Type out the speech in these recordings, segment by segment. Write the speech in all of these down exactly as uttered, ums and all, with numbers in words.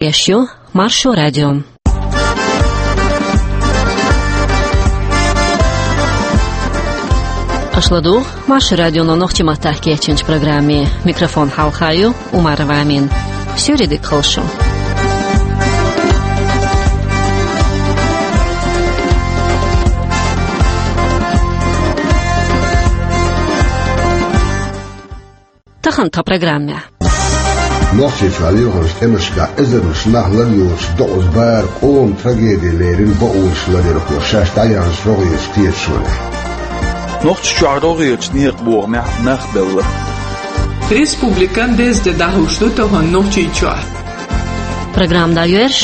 Эфирехь ю Маршо радио. Аша ладугӀу Маршо радионо нохчийн маттахь кечйинчу программе. Микрофон хьалха ю Умарова Амина. Суьйре дика хуьлда шун. Тахана тхан программехь. Нохчийчохь лелхинчу тӀемашкахь эзарнаш нах лар йоцуш докъаза бахаран къоман трагеди лерина бакъонаш ларъярхо шаьш дӀаяьхьначу рогӀерчу кхеташонехь. Нохчийчохь рогӀерчу некъан бохамехь нах белла. Республикан деза де дӀахьуш ду тахана Нохчийчохь. Программа дӀайоьрзуш: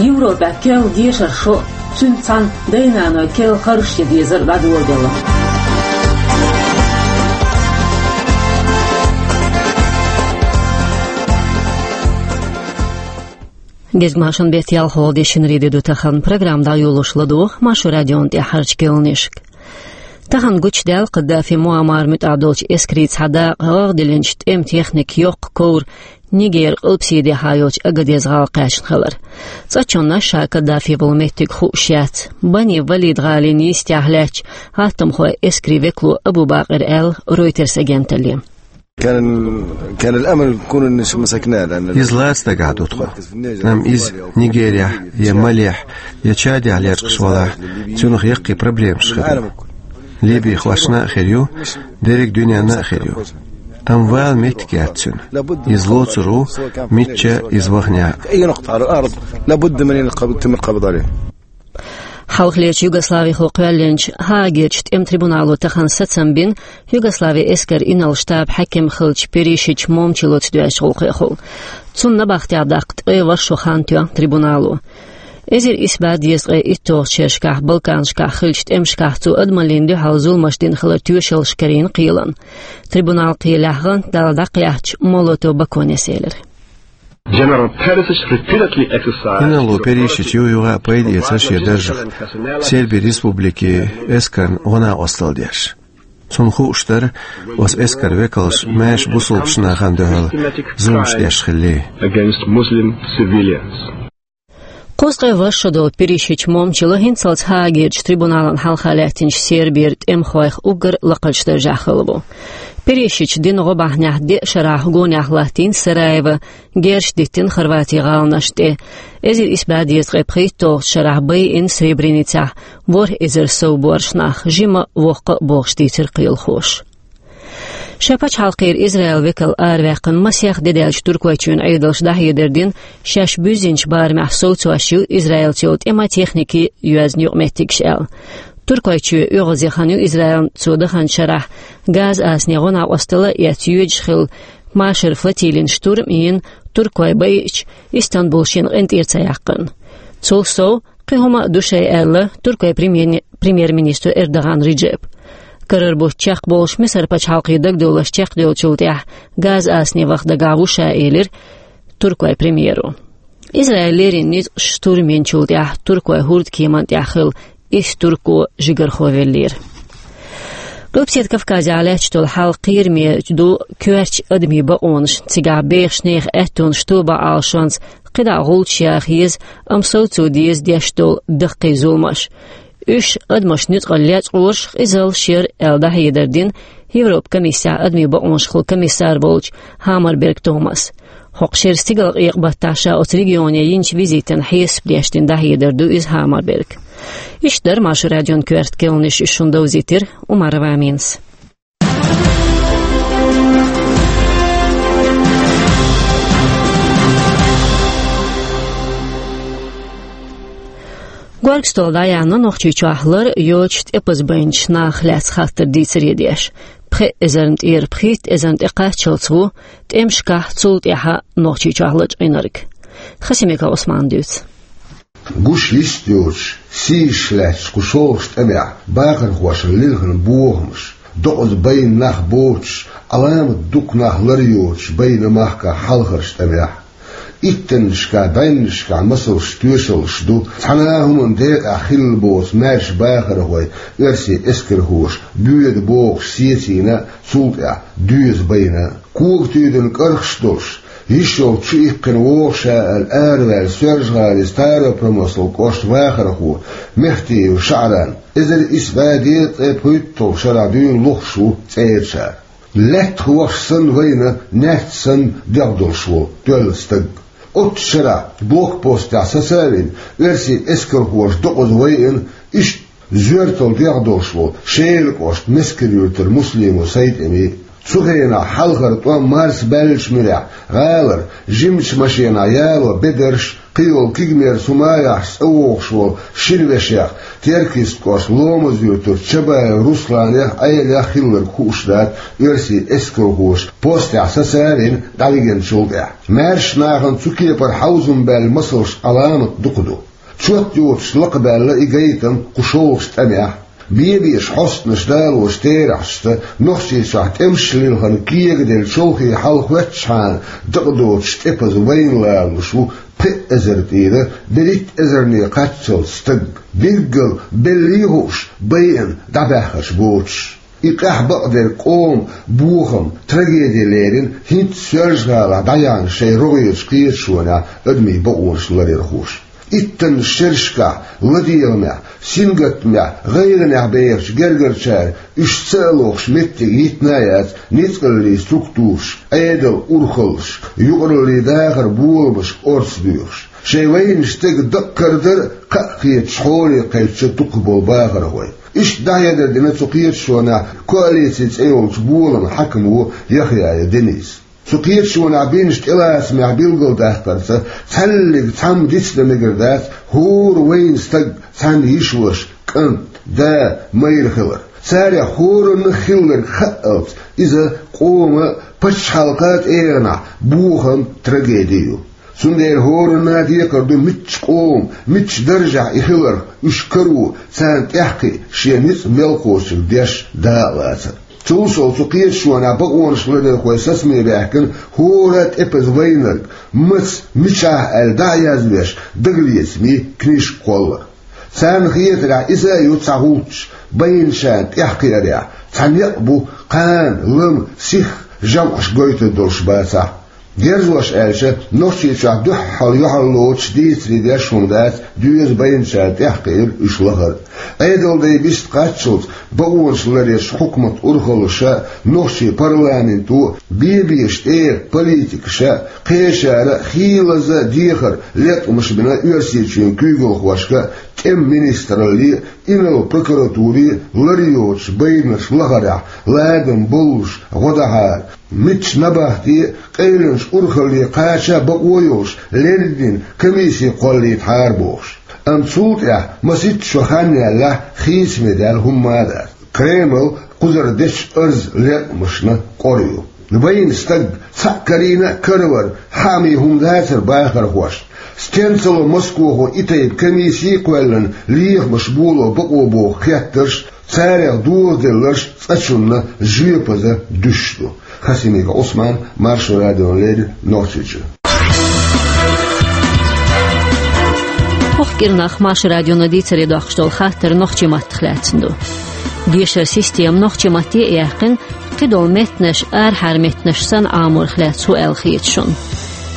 Европехь керла дешар шо, цуьнца цхьаьна дай-наной керла харжаш ян дезар дӀадоладелла. Гезгмашин беттан ялхолгӀа де, шинарин де ду тахана. Программа дӀайолош ладугӀу Маршо радион тӀаьхьарчу кхаьънашка. Тахана гучудаьлла Каддафи Муаммар муьтӀахь долчу эскарийн цхьа дакъа гӀагӀ диллинчу тӀеман техникан йоккха ковра Нигеран къилбаседехьа йолчу Агадез гӀала кхаьчна хилар. ЦӀа чонна ша Каддафи волу меттиг хууш яц. Бани Валид гӀалин йистехь лаьттачу гӀаттамхойн эскарийн векало Абу Бакъира аьлла Reuters агенталле. كان كان الأمل يكون إن شو مسكناه، لأن Иза лаца дагахь ду тхо. Амма иза Нигерехь я Малехь я Чадехь лечкъаш валахь, цунах яккхий проблемаш хир ю. Ливийхошна а хир ю, дерриг дуьненна а хир ю. Амма вала меттиг яц цуьнан. Иза лоцур ву, мичча иза вахнехь а. أي نقطة على الأرض لابد من أن يقب-، يتم القبض عليه. Хьалхалерчу Югославихо кхоьллинчу Гаагерчу тӀеман трибунало тахана сацам бина Югославин эскаран инарла штабан хьаькам хиллачу Перишич Момчилоца доьзначу гӀуллакхехула. Цунна набахтехь даккха ткъе ворхӀ шо хан тоьхна трибунало. Эзар исс бӀе дезткъе итталгӀачу шерашкахь Балканашкахь хиллачу тӀемашкахь цо адамаллина дуьхьал зуламаш дина хилар тоьшаллаш карийна кхелан. Трибунал кхелехь гӀант Далла дӀакхаьчча, Молотов Баконес элира. General Perisic repeatedly exercised Инарла Перишич юх-юха а пайда эцара шен даржах Сербин Республикин эскарна гӀо-накъосталла деш. Цунна хууш дара оцу эскаран векалша маьрша бусалба нахана дуьхьал зуламаш деш хилар. Against Muslim civilians. Кхузткъе ворхӀ шо долу Перишич Момчило хӀинццалц Гаагерчу трибуналан хьалха лаьттинчу Сербера тӀемахойх уггар лакхарчу даржехь хилла ву. Перишича дина гӀо бахьанехь деа шарахь гонехь латтийна Сараево, герзаш диттина Хорватин гӀаланашна тӀе. Эзар исс бӀе дезткъе пхийтталгӀачу шарахь байина Сребреницехь ворхӀ эзар сов боьрша нах, жима а, воккха а, бохуш дийцира кхелахоша. Шайн пачхьалкхера Израилан векал араваьккхина масех де даьлча Туркойчоьнан Ӏедалша дӀахьедар дина, шаьш буьззинчу барамехь совцош ю Израилца йолу тӀеман техника а, йоьзна юкъаметтигаш аьлла. Туркойчоь оьгӀазе хан ю Израилна цо даханчу шарахь Газа-Асане гӀо-накъосталла а эцна, йоьдуш хилла машаран флотилин штурм а йина, туркой байича, Истанбул шена къинтӀера ца яьккхина. Цул сов, кхин хӀума а ду шайн аьлла, Туркойн премьер-, премьер-министр Эрдоган Реджеп. Карара бутт чекхболуш Мисар пачхьалкхе дагадовларш чекхдевллачул тӀаьхьа Газа-Асане ваха дагахь ву ша, элира Туркойн премьеро. Израиль леррина ницкъаша штурм йинчул тӀаьхьа туркойн хӀордкеман тӀехь хилла исс турко жигархо веллера. Къилбаседа Кавказехь лаьтташ долу хьал кхераме ду коьртачу адамийн бакъонашна, цигахь бехачу нехан аьттонаш тоба Ӏалашонца кхидӀа гӀулчаш яха еза, амма совцо деза деш долу даккхий зуламаш. Уьш адамашна нуьцкъала лечкъораш, къизаллаш яра аьлла дӀахьедар дина Европан комиссехь адамийн бакъонашкахула комиссар волчу Хаммерберг Томаса. ХӀокху шеран стигалкъекъа баттахь ша оцу регионе йинчу визитан хьесап деш дина дӀахьедар ду иза Хаммерберга. Иштта дара Маршо радион коьрта кхаьънаш, уьш шуна довзийтира Умарова Аминас. Горга стол дӀаяьхьна Нохчийчохь лар йоцуш тӀепаза байначу нахах лаьцна хаттар дийцаре деш. Пхи эзарна тӀера пхийтта эзарна тӀекхаччалц ву тӀемашкахь, цул тӀаьхьа Нохчийчохь лачкъийнарг. Хасимиков Ӏусмана дуьйцу. Гуш йист йоцуш, сийсаза лаьтташ кху шолгӀачу тӀамехь бахархошна лилхина бохамаш, докъаза байна нах боцуш, Ӏаламат дукха нах лар йоцуш байна махкахь хьалхарчу тӀамехь. Иттаннашкахь, бӀеннашкахь масалш, тоьшаллаш ду, цхьана а хӀуманна декъехь хилла боцу маьрша бахархой, оьрсийн эскархоша боьду бохуш сецийна, цул тӀаьхьа доьза байна. Кога туьйдина кӀархаш долуш, Йиш йолчу иккхина вогӀуш аьлла араваьлла Соьлжа-ГӀалин Старопромыслан кӀоштан вахархо Мехтиев ШаӀран, эзар исс бӀе дезткъе пхийтталгӀачу шарахь дуьйна лохуш ву цӀерачара. Лаьттах вахаш санна вайна, наьрс санна дегӀ долуш волу тоьлла стаг. Оццу шарахь блокпостехь сацавина, оьрсийн эскархоша докъаза вайна, иштта зоьртал дегӀ долуш волу Шелан кӀоштан Мескан-Юьртара Муслимов СайтӀимин. Цу хенахь хьалхара тӀом марсабаьллачу муьрехь гӀалара жимачу машенахь яло бедарш, кхийолу кегамерчу хӀуманех цӀа вогӀуш волу шина вешех, Теркйист кӀоштан Ломаз-Юьртарчу Чабаев Русланех, Ӏелех хилларг хууш дац оьрсийн эскархоша постехь сацавина дӀавигначул тӀаьхьа. Маьршачу нахана цу кепара хьовзам баьлла масалш Ӏаламат дукха ду. Чот йоцуш лакхабаьлла и гайтам кху шолгӀачу тӀамехь. Бе-беша хьостанаш далочу терахьашца, Нохчийчохь тӀемаш лилхина кегаделла чолхе хьал хоьттучхьана дакъа доцуш тӀепаза вайна лалалуш ву пхи эзар тӀера берхӀитта эзарне кхаччалц стаг, билггал беллий а хууш, байина дӀабаьхкича боцуш. И къаьхьа бакъдерг къоман бохам, трагеди лерина хӀинца Соьлжа-ГӀалахь дӀаяьхьначу шайн рогӀерачу кхеташонехь адамийн бакъонаш ларъярхоша. Иттаннаш шерашкахь, ладегӀамехь, сингаттамехь, гӀайгӀанехь бехачу гергарчара уьш ца а лохуш меттиг йитина а яц ницкъаллийн структураш, Ӏедалан урхаллаш, юкъараллийн дахаран боламашка орца доьхуш. Шайн вайначу стеган дакъа карадар а кхаъ кхеташ хьоле кхаьчча дукхахболу бахархой. Иштта дӀахьедар дина цу кхеташонехь коалици цӀе йолчу боламан хьаькамо Яхъяев Денис. Цу кхеташонехь бинчу тӀелацамех билгалдаккхарца, цхьаьллиг цхьамма дицдан мегар дац хӀора вайна стаг, цхьана йиша-ваша, кӀант, да, майра хилар. Царех хӀоранна хилларг хаалц, иза къоман а, пачхьалкхан а тӀегӀанехь бохам, трагеди ю. Цундела хӀоранна а декхар ду муьлххачу къоман, муьлххачу даржехь и хиларх, уьш каро, царна тӀаьхьакхиа шен ницкъ мел кхочург деш дакъа лацар. Цул сов, цу кхеташонехь бакъонаш ларъярхой сацаме баьхкина хӀора а тӀепаза вайнарг, маца, мичахь аьлла дӀа а язвеш, дагалецамийн книжка кхоллар. Царна хетарехь, иза а ю цхьа гӀулч, байначарна тӀаьхьакхиарехь, цхьа некъ бу, кхана, лама, сихха жамӀаш гойтур долуш бацахь. Дерзош аьлча, Нохчийчохь дуьххьал юьхьарлоцуш дийцаре деш хӀума дац доьза байначарна тӀаьхьакхиар, уьш лахар. Ӏедалан дай бист кхаччалц бакъонаш ларъеш хьукматан урхаллаша, нохчийн парламенто, бе-беша тӀера политикаша, кхечара хийлаза дехар леткъамаш бина Оьрсийчоьнан куьйгалхошка, тӀеман министралле, инарла прокуратуре лар йоцуш байнарш лахарехь, ладам боллуш гӀо дахьара, муьлххачу набахте, къайленаш урхалле кхача бакъо йолуш леррина комисси кхоллийтахьара бохуш. Амма цул тӀаьхьа масийтта шо хан яьллехь, хийцаме даьлла хӀумма а дац. Кремль кхузара дечу арз-леткъамашна кӀора ю. Вайна стаг, цхьаъ карийна а каравар, хьаъ ма хӀума дацара бахархошна. Стенца ло Москохо и тайпа комисси а кхоьллина, лехамаш боло бакъо боху хеттарш, царех дозаделларш цкъачунна жоьпаза дуьсуш ду. Хасимиков Ӏусман, Маршо радиона леррина, Нохчийчу. ХӀокху кӀирнах Маршо радиона дийцаре доккхуш долу хаттар нохчийн маттах лаьцна ду. Дешаран система нохчийн матте а яьккхина, кхидолу меттанаш арахьара меттанаш санна Ӏаморах лаьцна хӀун аьлла хета шуна?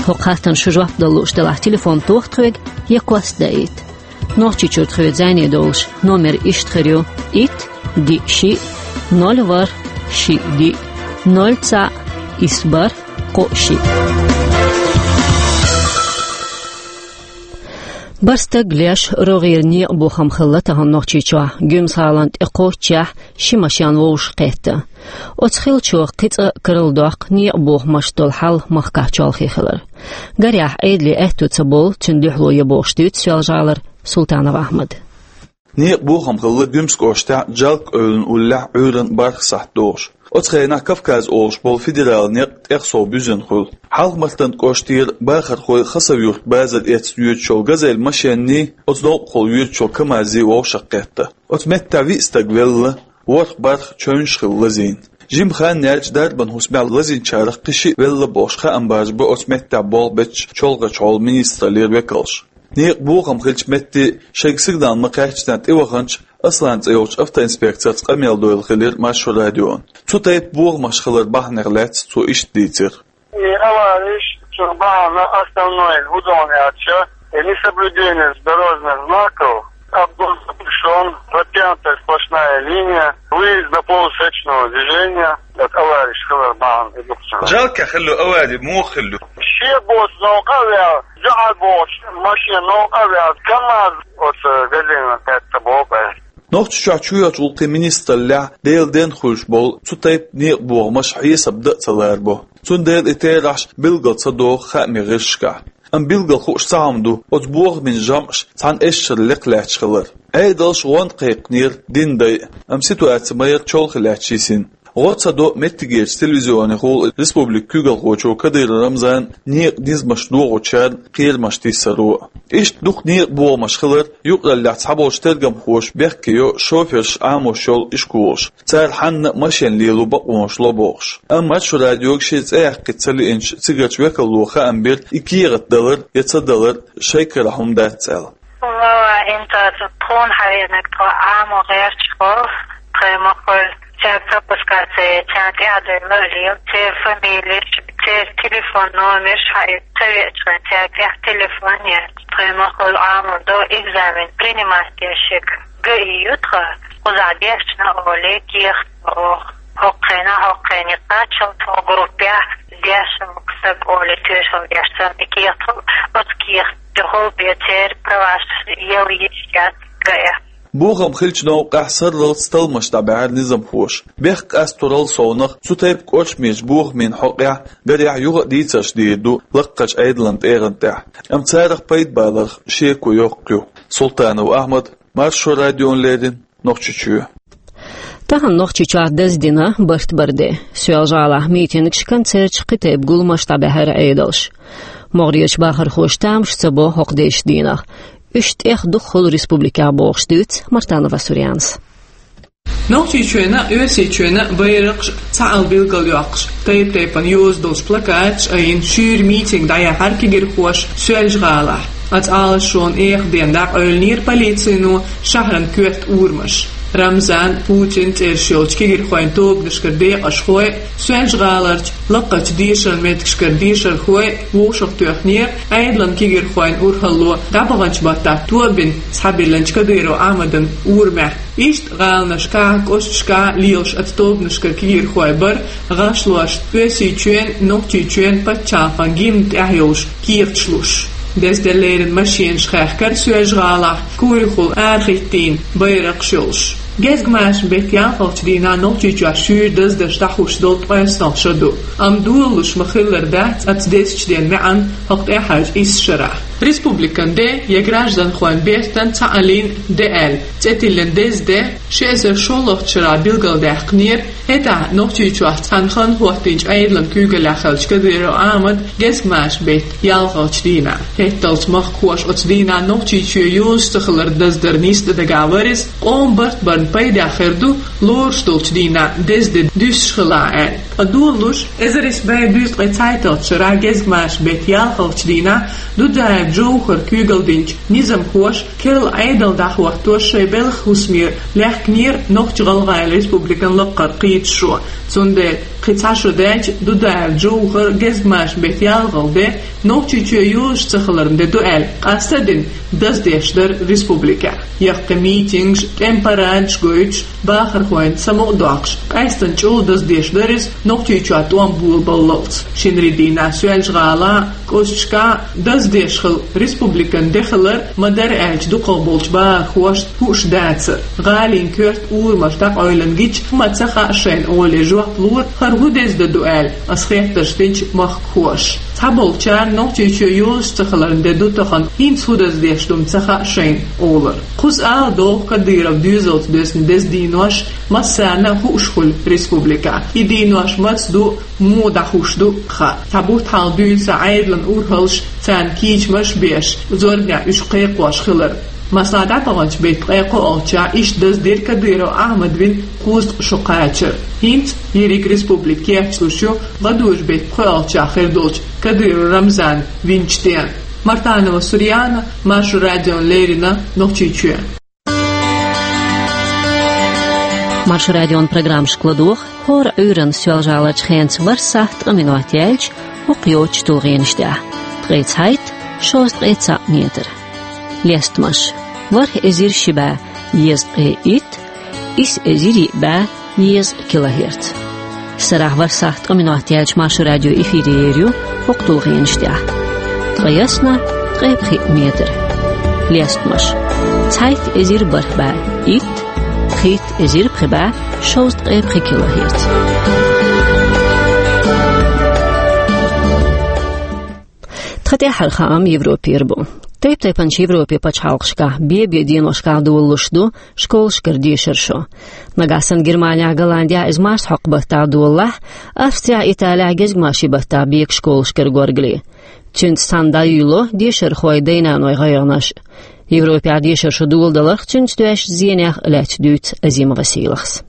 ХӀокху хаттарна шу жоп дала лууш делахь, телефон тоха тхоьга я кост даийта. Нохчийчуьра тхоьца зӀене долуш номер иштта хир ю: итт, диъ, шиъ, ноль, ворхӀ, шиъ, диъ, ноль, цхьаъ, исс, бархӀ, кхоъ, шиъ. БархӀ стаг леш, рогӀера некъан бохам хилла тахана Нохчийчохь, Гуьмсан-ГӀалин тӀе кхоччехь ши машен вовшахкхетта. Оцу хиллачух кхин цкъа карладоккху некъан бохамашца долу хьал махкахь чолхе хилар. Гарехь, Ӏедалан аьтто ца болу цуьнан дуьхьало я бохуш дуьйцу Соьлжа-ГӀалара Султанов Ахьмада. Некъан бохам хилла Гуьмсан кӀоштехь Джалкъа-Эвлан уллехь Ӏуьйранна бархӀ сахьт догӀуш. Оцу хенахь Кавказ олуш болу федералан некъ тӀех сов буьззина хуьлу. Хьалха-Мартан кӀоштера бахархой Хасавюрт базар эцна йоьдуш йолу «Газель» машенний, оцу новкъахула йоьдуш йолу «КамАЗ»ий вовшахкхетта. Оцу меттехь виъ стаг велла, ворхӀ-бархӀ чевнаш хилла лазийна. Жимма хан яьлча, дарбан хӀусамехь лазийначарах кхин шиъ велла бохуш, хаам бажабо оцу меттехь болх бечу чолхачу хьолан министраллера векалша. Некъан бохам хиллачу метте шайга сигнал ма-кхаьччинехь тӀеваханчу Аслан цӀе йолчу автоинспекторца къамел дойла хилира Маршо радиона. Цу тайпа бохамаш хилар бахьанех лаьцна цо иштта дийцира. И авареш Бахьана основной удобный отчет и несоблюдение дорожных знаков, обгон запрещён, протянута сплошная линия, выезд на полусречного движения от аварий школы Бахьана и Дуксана. Жалко хилла авари, муха хилла? Ши бус новкъа вял, жаӀал бус машина новкъа вял, КамАЗ от газона тӀа бокъо. Нохчийчохь чоьхьарчу гӀуллакхийн министраллехь Делан денна хуьлуш болу цу тайпа некъабохамаш хьесап дан а ца ларбо. Цундела и терахьаш билггал ца доху хаамийн гӀирсашкахь. Амма билггал хууш цхьа хӀума ду оцу бохамийн жамӀаш цхьана эшшара лекха лаьтташ хилар. Ӏедалш гӀоьнна кхайкхинера динан дай а, амма ситуаци ма яра чолхе лаьтташ йисина. ГӀо ца до меттигерчу телевизионехула республикан куьйгалхочо Кадыров Рамзана некъан низамаш дохочарна кхерамаш тиссаро. Иштта дукха некъабохамаш хилар юкъараллехь цхьаболчу тергамхоша бехке йо шоферш Ӏамош йолу ишколаш, цара хьанна а машен лело бакъонаш ло бохуш. Амма Маршо радиога шен цӀе яккхийта ца лиъначу цигарчу векало хаам бира и кехат далар я ца далар шайн карахь хӀума дац аьлла. Валлахьи, хӀинца тхуна хьаьвзинарг тхо Ӏамо гӀерташ волу, тхайн ма хуьлу, цаьрга пропускаци, царна тӀаьхьа дуьйна а лела, церан фамилеш, церан телефон номерш хьаийца ца веача, цаьрга тӀехь телефон яц. Тхайн ма хуьлу Ӏамор ду экзамен принимать деш ерг. ГАИ ю тхан, кхузахь дешна олий, кехат бо оха. ХӀокху хенахь, хӀокху хенахь кхаччалц тхо группехь дешна ву-кх стаг олий, тоьшалла деш санна и кехат хуьлу, оцу кехатехула бен церан праваш яла йиш яц ГАИ. Бохам хиллачу новкъахь сарралц талламаш дӀабаьхьира низамхоша. Бехк къастарал совнах, цу тайпа кӀоршамечу бохамийн хьокъехь, гарехь юха а дийцарш дийр ду лакхарчу Ӏедалан тӀегӀан тӀехь. Амма царах пайда баларх шеко йоккха ю. Султанов Ахьмад, Маршо радиона леррина, Нохчийчоь. Тахана Нохчийчохь даздина барт баран де. Соьлжа-ГӀалахь митингаш, концерташ, кхин тайпа гуламаш дӀабаьхьира Ӏедалша. МогӀарерчу бахархоша тамаш ца бо хӀокху дезачу дийнахь. Уьш тӀех дукха хуьлу республикехь бохуш дуьйцу Мартанова Сурьянас. Нохчийчоьнан а, Оьрсийчоьнан а байракхаш цхьаалла билгалйоккхуш, тайп-тайпана йоза долчу плакаташ айина шуьйра митинг дӀаяьхьира кегирхоша Соьлжа-ГӀалахь. Оцу Ӏалашонан эха ден дӀакъевлинера полицино шахьаран коьрта урамаш. Рамзан, Путин цӀераш йолчу кегирхойн тобанашкара декъашхой а, Соьлжа-ГӀаларчу лакхарчу дешаран меттигашкара дешархой а вовшахтоьхнера Ӏедалан кегирхойн урхалло дӀабаханчу баттахь тоба бина схьабиллинчу Кадыров Ахьмадан урамехь. Иштта гӀаланашкахь а, кӀошташкахь а лелаш оцу тобанашкара кегирхой бара, гӀашлош Оьрсийчоьнан, Нохчийчоьнан пачхьалкхан гимнан тӀехь йолуш кехаташ луш. Дезделла леррина машенаш хаьхкира Соьлжа-ГӀалахь курехула арахӀиттийна байракхаш йолуш. Гезгмашин беттан ялхалгӀачу дийнахь Нохчийчохь шуьйра даздарш дӀахьуш долу ткъоьсналгӀа шо ду. Амма долалуш ма-хиллара дац оцу дезачу ден маьӀна хӀокху тӀаьхьарчу исс шарахь. Республикан де я гражданхойн бертан цхьааллин де аьлла цӀе тиллина деза де ши эзар шолгӀачу шарахь билгалдаьккхинера. ХӀетахь Нохчийчохь цхьана хан хӀоттийначу Ӏедалан куьйгаллехь хиллачу Кадыров Ахьмада гезгмашин беттан ялхалгӀачу дийнахь. ХӀетталц махкахоша оцу дийнахь Нохчийчоь йозуш ца хилар даздара нисдан дагахь вара иза, къоман барт барна пайдехь хир ду лоруш долчу дийнахь деза де дуьсуш хилахь аьлла. Ткъа долалуш, эзар исс бӀе дезткъе цхьайтталгӀачу шарахь гезгмашин беттан ялхалгӀачу дийнахь Дудаев Джовхара куьйгалла динчу низамхоша керла Ӏедал дӀахӀоттош шайн белхан хӀусаме лаьхкинера Нохч-ГӀалгӀайн Республикан лакхара кхеташо. Цундела кхин цхьа шо даьлча Дудаев Джовхара гезгмашин беттан ялхалгӀа де Нохчийчоь йозуш ца хиларан де ду аьлла, къастадина даздеш дара республикехь. Яккхий митингаш, тӀеман парадаш гойтуш, бахархойн самукъадоккхуш, къаьсттина чӀогӀа даздеш дара иза Нохчийчохь тӀом болабаллалц. Шинарин дийнахь Соьлжа-ГӀалахь а, кӀошташкахь а даздеш хилла республикан де хилар ма-дарра аьлча дукхахболчу бахархошна хууш дацара. ГӀалин коьрта урамаш дӀакъевлина гича хӀума ца хаьа шайна олий жоп лора, хӀара хӀун деза де ду аьлла, ас хеттарш динчу махкахоша. Цхьаболчарна Нохчийчоь йозуш ца хиларан де ду тахана, хӀинца хӀун даздеш ду-м ца хаьа шайна олура. Кхуза ала догӀу Кадыровн доьзалца доьзна деза денош массарна а хууш хуьлу республикехь. И денош маца ду, муха дӀахьуш ду хаьа. Цхьа бутт хьалха дуьйцу Ӏедалан урхаллаша царна кийчамаш а беш, зорбанехь уьш кхайкхош хилар. Масала, дӀабаханчу беттан ткъе кхоалгӀачохь иштта даздира Кадыров Ахьмада вина кхузткъа шо кхачар. ХӀинца ерриг республика кечлуш ю гӀадужу беттан пхоьалгӀачохь хир долчу Кадыров Рамзана винчу ден. Мартанова Сурьяна, Маршо радиона леррина, Нохчийчоь. Шу радион программашка ладугӀу хӀора Ӏуьйранна Соьлжа-ГӀаларчу хенца ворхӀ сахьт ткъа минот яьлча хӀокху йоцучу тулгӀенаш тӀехь. Ткъе цхьайтта, шовзткъе цхьаъ метр. Лестамаш: ворхӀ эзар ши бӀе езткъе итт, исс эзар йиъ бӀе езткъа килогерц. Сарахь ворхӀ сахьт ткъа минот яьлча Маршо радио эфире ер ю хӀокху тулгӀенаш тӀехь. Ткъе ялх, ткъе пхиъ метр. Лестамаш: цхьайтта эзар бархӀ бӀе итт, пхийтта эзар пхи бӀе шовзткъе пхи килогерц. Тхан тӀаьххьара хаам Европера бу. Тайп-тайпанчу Европе пачхьалкхашкахь бе-бе деношкахь долалуш ду школашкара дешар шо. Нагахь санна Германехь, Голландехь иза марсхьокху баттахь долалахь, Австрехь, Италехь гезгмашин баттахь бега школашкара горгали. Цуьнца цхьаьна дӀаюьйло дешархойн дай-наной гӀайгӀанаш. Европехь дешар шо доладаларх, цуьнца доьзначу зенех а лаьцна дуьйцу Азима Василахс.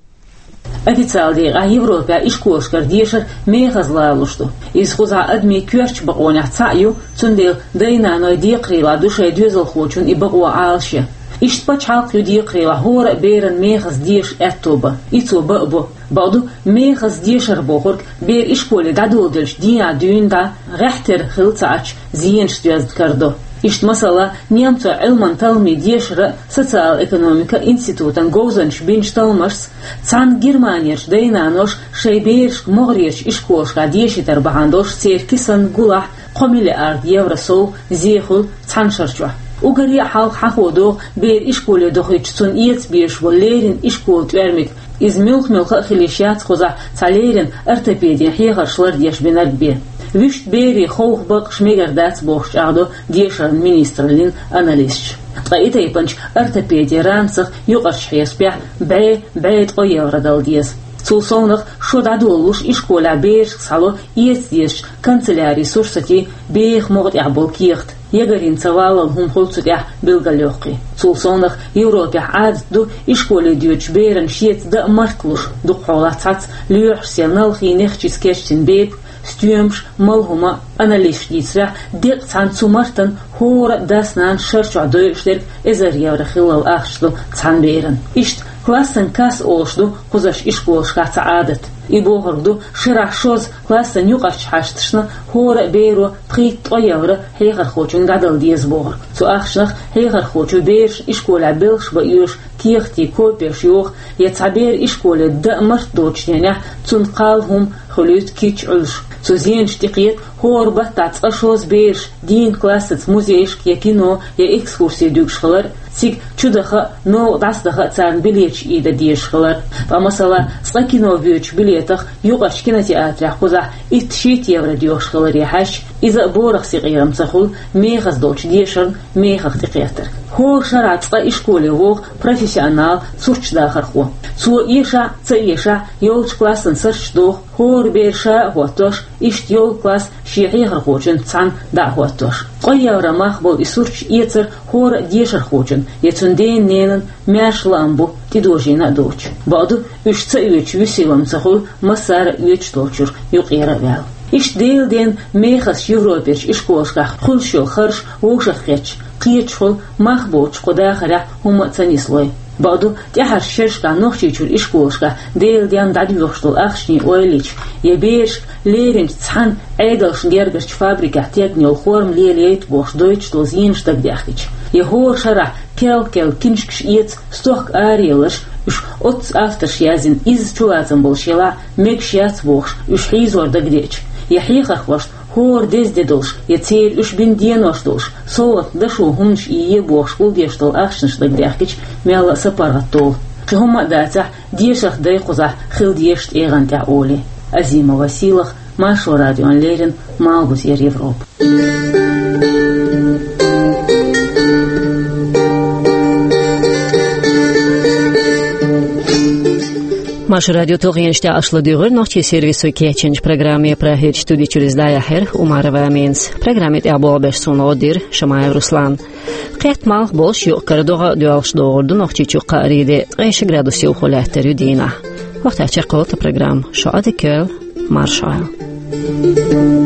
Официалан декъехь Европехь ишколашкара дешар мехаза лоруш ду. Иза кхузахь адамийн коьртачу бакъонех цхьаъ ю, цундела дай-наной декхарийлахь ду шайн доьзалхочун и бакъо Ӏалашъян. Иштта пачхьалкх ю декхарийлахь хӀора а беран мехаза деша аьтто бан. И цо бан а бу. Бакъду, мехаза дешар бохург бер ишколе дӀадоладелча дийнахь дуьйна дӀа гӀеххьтера хилла ца Ӏачу зенаш доьзна карадо. Иштта, масала, немцойн Ӏилман талламийн дешаран а, социал-экономикан институтан говзанчаша бинчу талламашца, цхьана Германерчу дай-наноша шайн берашка могӀарерчу ишколашкахь дешийтар бахьана долуш церан кисанна гулахь кхо миллиард евро сов зе хуьлу цхьана шарчохь. Уггаре а хьалха хьахо догӀу бер ишколе дохуьйтуш цунна эца безаш болу леррина ишколан тӀоьрмиг. Иза муьлха-муьлха а хила йиш яц кхузахь цхьа леррина ортопедин хьехарш лардеш бинарг бен. Вуьшта берийн ховха бакъаш мегар дац бохуш чӀагӀдо дешаран министраллин аналисташа. Ткъа и тайпанчу ортопедин ранцах юкъарчу хьесапехь бӀе, бӀе ткъо евро дала деза. Цул совнах, шо дӀадолалуш ишколехь берашка схьало эца дезачу канцелярин сурсатийн беха могӀа тӀехь болу кехат. Ягарина ца валлал хӀума хуьлу цу тӀехь билгалйоккхий. Цул совнах, Европехь Ӏадат ду ишколе доьдучу беран шеца дан а мартлуш, дукхахьолахь цхьацца лоьхуш сел налхий, нехчица кечдина бепиг, стоьмаш, малхӀума. Аналисташа дийцарехь, декъа цхьана цу мартан хӀора а дас-нанас шарчохь дойуш дерг эзар евро хиллал ахча ду цхьана беран. Иштта классан касса олуш ду кхузарчу ишколашкахь цхьа Ӏадат. И бохург ду, шарахь шозза классан юкъарчу хьашташна хӀора а беро пхийтта-ткъо евро хьехархочуьнга дӀадала деза бохург. Цу ахчанах хьехархочо берашна ишколехь белхаш бан оьшу кехатийн копеш йоху, я цхьа бер ишколе дан а март доцучу денехь цунна кхалла хӀума хуьлуьйту кийча Ӏуьллуш. Цу зенашна тӀекхета хӀора баттахь цкъа-шозза бераш дийнна классаца музейшка я кино, я экскурси дуьгуш хилар, цига чудаха а, новкъа дӀасадаха а царна билеташ ийда дезаш хилар. Ткъа, масала, цкъа кино воьдучу билетах юкъарчу кинотеатрехь кхузахь итт-шийтта евро доьхуш хиларе хьаьжча, иза а борах синкъерам ца хуьлу мехаза долчу дешарна мехах тӀекхетарг. ХӀора шарахь цкъа ишколе воху профессионал сурташ дахархо. Цо, эшахь а, ца эшахь а, йолчу классан сурташ доху, хӀора бер ша а хӀоттош, иштта йолу класс шен хьехархочуьнца цхьаьна дӀа а хӀоттош. Ткъо евро мах болу и сурташ эцар хӀора а дешархочун я цуьнан ден-ненан маьрша лаам бу, тӀедожийна а доцуш. Бакъду, уьш ца оьцуш вуьсийлам ца хуьлу массара а оьцуш долчуьра юкъера а ваьлла. Иштта Делан денна мехазчу Европерчу ишколашкахь хуьлуш йолу харж вовшахкхетча, кхеташ хуьлу мах боцуш кху дахарехь хӀумма а ца нислой. Бакъду, тӀаьхьарчу шерашкахь Нохчийчуьра ишколашкахь Делан денна дӀадоьхуш долу ахчанийн ойла йича, я берашка леринчу цхьана Ӏедалшна гергарчу фабрикехь тегна йолу форма лелайта бохуш дойтуш долу зенаш дагадехкича, я хӀора шарахь керла-керла киншкаш эца стохка араелларш, уьш оццу авторша язйина изза чулацам болуш елахь а, мегаш яц бохуш, уьш хьийзор дагадеъча, я хьехархошна хӀора деза де долуш, я церан уьш бина денош долуш, совгӀатна дашо хӀуманаш ийе бохуш гулдеш долу ахчанаш дагадехкича, мелла а са паргӀатдолу. Кхин хӀумма а дацахь, дешарх дай кхузахь хила дезаш тӀегӀан тӀехь олий. Азима Василах, Маршо радиона леррина, Малхбузера Европа. Маршо радион тулгӀенаш тӀехь аша ладуьйгӀира нохчийн сервисо кечйинчу программе. Прагерчу студи чуьра иза дӀаяьхьира Умарова Аминас. Программе тӀехь болх беш суна гӀо дира Шамаев Руслана. Кхетта малх болуш, юкъ-кара догӀа а доьлхуш догӀур ду Нохчийчу кхаарин де, ткъе ши градус йовхо лаьттар ю дийнахь. ХӀокху тӀехь чекхйолу тхан программа. Шун Ӏадика йойла, марша Ӏойла.